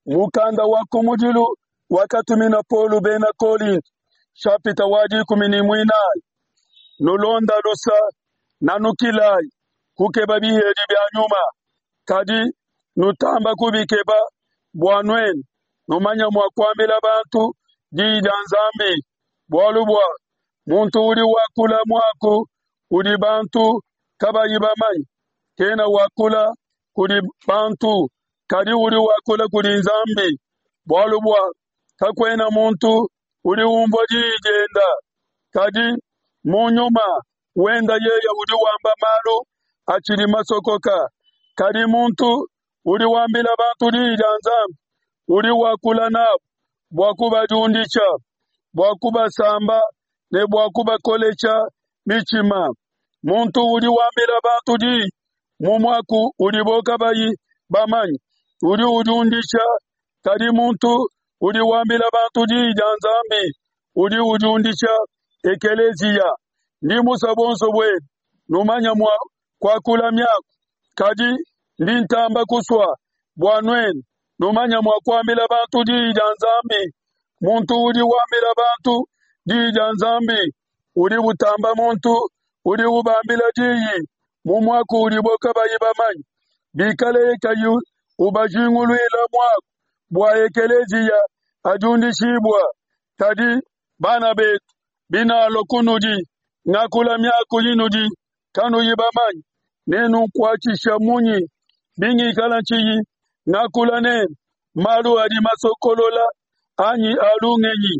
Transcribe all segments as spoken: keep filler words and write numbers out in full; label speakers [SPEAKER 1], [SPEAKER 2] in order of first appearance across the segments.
[SPEAKER 1] Mukanda wa kumudilu wakatumina Paulo bena Kolinto, nshapita wa dikumi ne muinayi. Nulonda lusa, nanukilayi kukeba bihedi bia nyuma, kadi nutamba kubikeba bua nuenu numanya mua kuambila bantu diyi dia Nzambi. Bualu bua muntu udi wakula muaku udi bantu kabayi bamanye, kena wakula kudi bantu, kadi udi wakula kudi Nzambi. Bualu bua kakuena muntu udi umvua diyi dienda, kadi mu nyuma wenda yeye udi wamba malu atshidi masokoka. Kadi muntu udi wambila bantu diyi dia Nzambi udi wakula nabu bua kubadiundisha, bua kubasamba ne bua kubakolesha mitshima. Muntu udi wambila bantu diyi mu muaku udibo kabayi bamanye, udi udiundisha, kadi muntu udi wambila bantu diyi dia Nzambi udi udiundisha ekeleziya. Ndi musue buonso buenu numanya mua kuakula miaku, kadi ndi ntamba kusua bua nuenu numanya mua kuambila bantu diyi dia Nzambi. Muntu udi wambila bantu diyi dia Nzambi udi utamba muntu udi ubambila diyi mu muaku udibo kabayi bamanye, bikaleye kayi ubajinguluila muaku bua ekeleziya adiundishibua. Kadi bana betu, binalua kunudi ngakula miaku inudi kanuyi bamanye, nenunkuatshisha munyi bingikala ntshiyi ngakula nenu malu adi masokolola anyi a lungenyi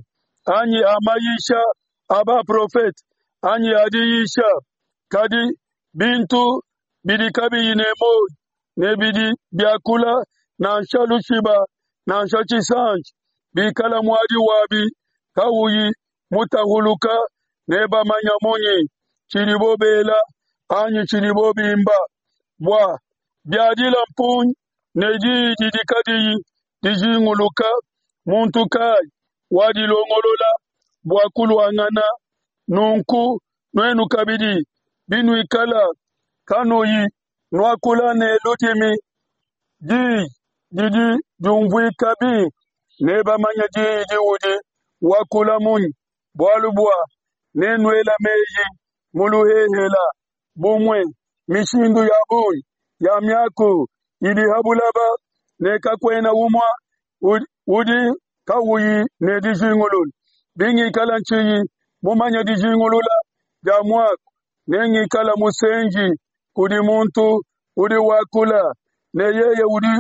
[SPEAKER 1] anyi a mayisha a baprofete anyi a diyisha? Kadi bintu bidi kabiyi ne muoyo ne bidi biakula nansha lushiba nansha tshisanji, bikala muadi wabi kauyi mutahuluka, nebamanya munyi tshidibo bela anyi tshidibo bimba? Bua biadila mpungi ne diyi didi kadiyi dijinguluka, muntu kayi wadilongolola bua kuluangana? Nunku nuenu kabidi, binuikala kanuyi nuakula ne ludimi diyi didi diumvuika bimpe, nebamanye diyi diudi wakula munyi? Bualu bua nenuela meji mu luhehela. Bumue mishindu ya bungi ya miaku idi ha bulaba, ne kakuena umue udi kauyi ne dijingulula. Bingikala ntshiyi mumanye dijingulula dia muaku, nengikala musenji kudi muntu udi wakula, ne yeye udi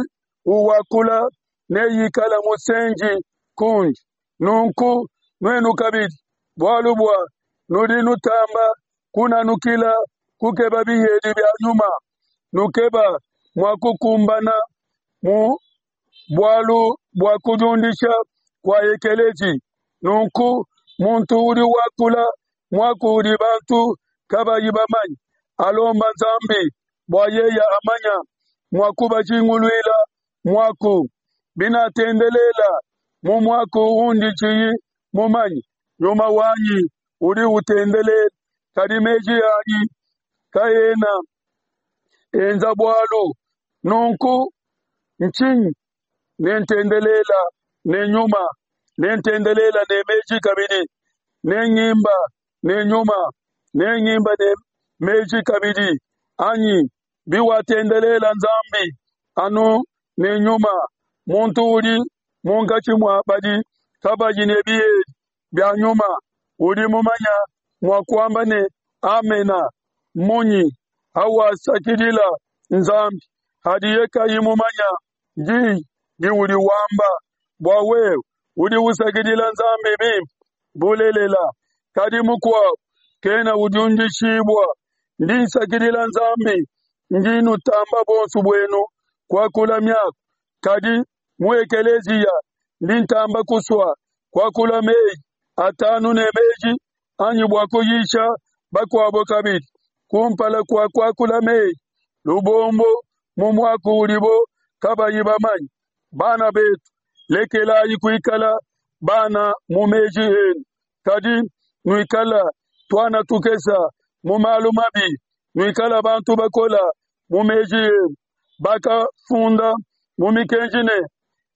[SPEAKER 1] uwakula neikala musenji kundi. Nunku nuenu kabidi, bualu bua nudi nutamba kunanukila kukeba bihedi bia nyuma, nukeba mua kukumbana mu bualu bua kudiundisha kua ekeleziya. Nunku muntu udi wakula muaku udi bantu kabayi bamanye, alomba Nzambi bua yeye amanya mua kubajinguluila muaku. Binatendelela mu muaku undi tshiyi mumanye, nyuma wanyi udi utendelela, kadi meji anyi kaena enza bualu. Nunku ntshinyi? Nentendelela ne nyuma, nentendelela ne meji kabidi, nengimba ne nyuma, nengimba ne meji kabidi. Anyi biwatendelela Nzambi anu ne nyuma, muntu udi munkatshi mua badi kabayi ne bihedi bia nyuma udi mumanya mua kuamba ne amena munyi hawasakidila Nzambi hadiye kayi mumanya diyi diudi wamba? Bua wewe udi usakidila Nzambi bimpe bulelela, kadi mukuabo kena udiundishibua. Ndi nsakidila Nzambi, ndi nutamba buonso buenu kuakula miaku, kadi mu ekeleziya ndi ntamba kusua kuakula meyi atanu ne meji anyi bua kuyisha bakuabo kabidi, kumpala kua kuakula meyi lubombo mu muaku udibo kabayi bamanye. Bana betu, lekelayi kuikala bana mu meji enu, kadi nuikala tuana tukesa mu malu mabi, nuikala bantu bakola mu meji enu. Bakafunda mu mikenji ne,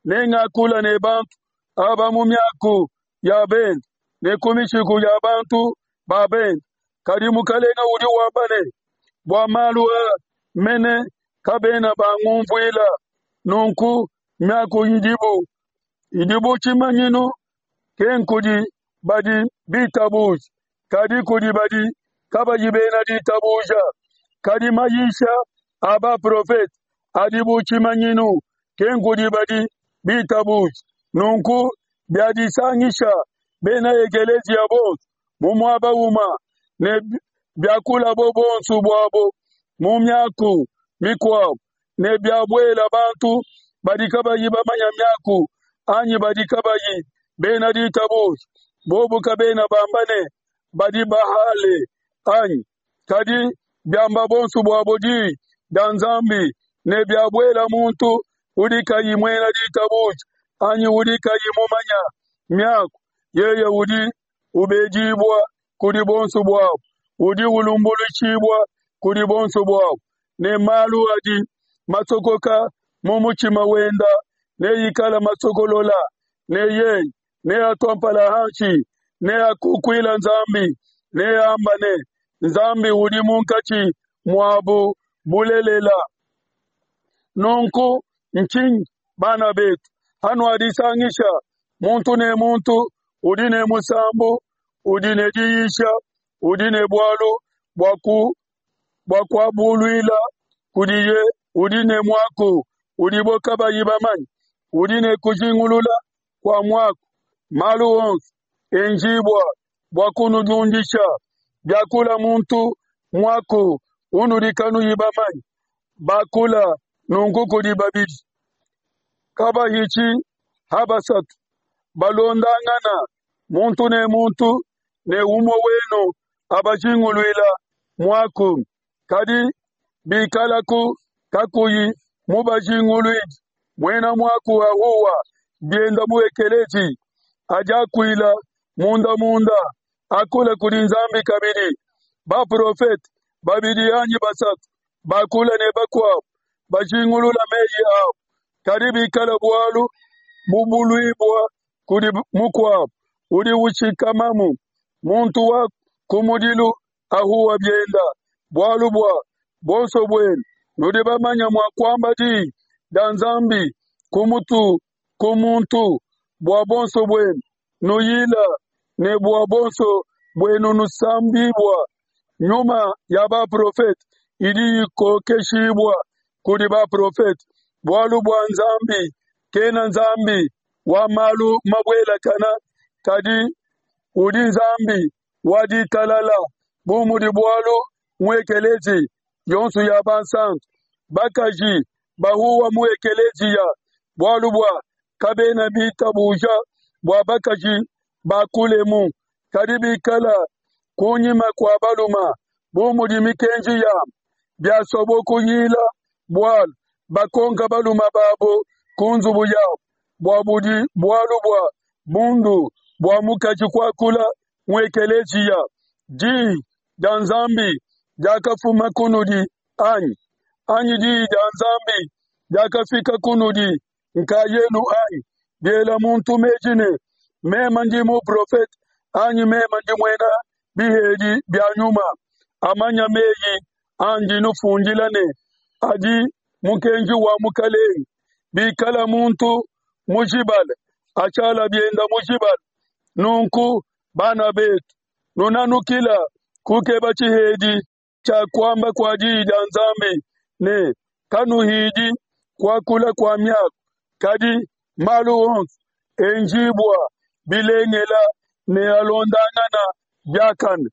[SPEAKER 1] Nengakula ne bantu aba mu miaku ya bende ne ku mishiku ya bantu ba bende. Kadi Mukalenga udi wamba ne, bua malu aa mene kabena bangumvuila. Nunku miaku idibu idi bu tshimanyinu ke nkudi badi bitabuja, kadi kudi badi kabayi bena ditabuja. Kadi mayisha a baprofete adi bu tshimanyinu ke nkudi badi bitabuja. Nunku biadisangisha bena ekeleziya bonso mu muaba umue ne biakulabo bonso buabo mu miaku mikuabo ne biabuela bantu badi kabayi bamanya miaku anyi badi kabayi bena ditabuja, bobu kabena bamba ne badi bahale anyi? Kadi biamba bonso buabo diyi dia Nzambi ne biabuela muntu udi kayi muena ditabuja anyi udi kayi mumanya miaku, yeye udi ubedibua kudi bonso buabo, udi ulumbuluishibua kudi bonso buabo, ne malu adi masokoka mu mutshima wenda neikala masokolola, ne yeye neatua mpala hanshi, neakukuila Nzambi, neamba ne, Nzambi udi munkatshi muabu bulelela. Nunku ntshinyi bana betu, hanuadisangisha muntu ne muntu udi ne musambu, udi ne diyisha, udi ne bualu bua ku bua kuabuluila kudiye, udi ne muaku udibo kabayi bamanye, udi ne kujingulula kua muaku. Malu onso enjibua bua kunudiundisha. Biakula muntu muaku unudi kanuyi bamanye, bakula nunku kudi babidi kabahitshi ha basatu balondangana muntu ne muntu, ne umue wenu abajinguluila muaku. Kadi bikalaku kakuyi mubajinguluidi, muena muaku ahuwa bienda mu ekelezi, adiakuila munda munda, akula kudi Nzambi kabidi. Baprofete babidi anyi basatu bakula ne bakuabo bajingulula meyi abo. Kadi bikala bualu bubuluibua kudi mukuabo udi ushikamamu, muntu wa kumudilu ahuwa bienda. Bualu bua bonso buenu nudi bamanya mua kuamba diyi dia Nzambi ku mutu ku muntu, bua bonso buenu nuyila ne bua bonso buenu nusambibua. Nyuma ya baprofete idi ikokeshibua kudi baprofete, bualu bua Nzambi kena Nzambi wa malu mabuelakana, kadi udi Nzambi wa ditalala. Bu mudi bualu mu ekelezi yonso ya bansantu, bakaji bahuwa mu ekeleziya, bualu bua kabena bitabuja bua bakaji bakulemu, kadi bikala kunyima kua baluma bu mudi mikenji yabo. Biasobo kuyila bualu bakonka baluma babo ku nzubu yabo, bua budi bualu bua bundu bua mukaji kuakula mu ekeleziya. Diyi dia Nzambi diakafuma kunudi anyi? Anyi diyi dia Nzambi diakafika kunudi nkayenu anyi? Biela muntu meji ne, meme ndi muprofete anyi meme ndi muena bihedi bia nyuma, amanya meyi andi nufundila ne adi mukenji wa Mukalenge. Bikala muntu mujibale, ashala bienda mujibale. Nunku bana betu, nunanukila kukeba tshihedi tshia kuamba kua diyi dia Nzambi ne kanuhidi kuakula kua miaku, kadi malu onso enjibua bilengela ne alondangana biakane.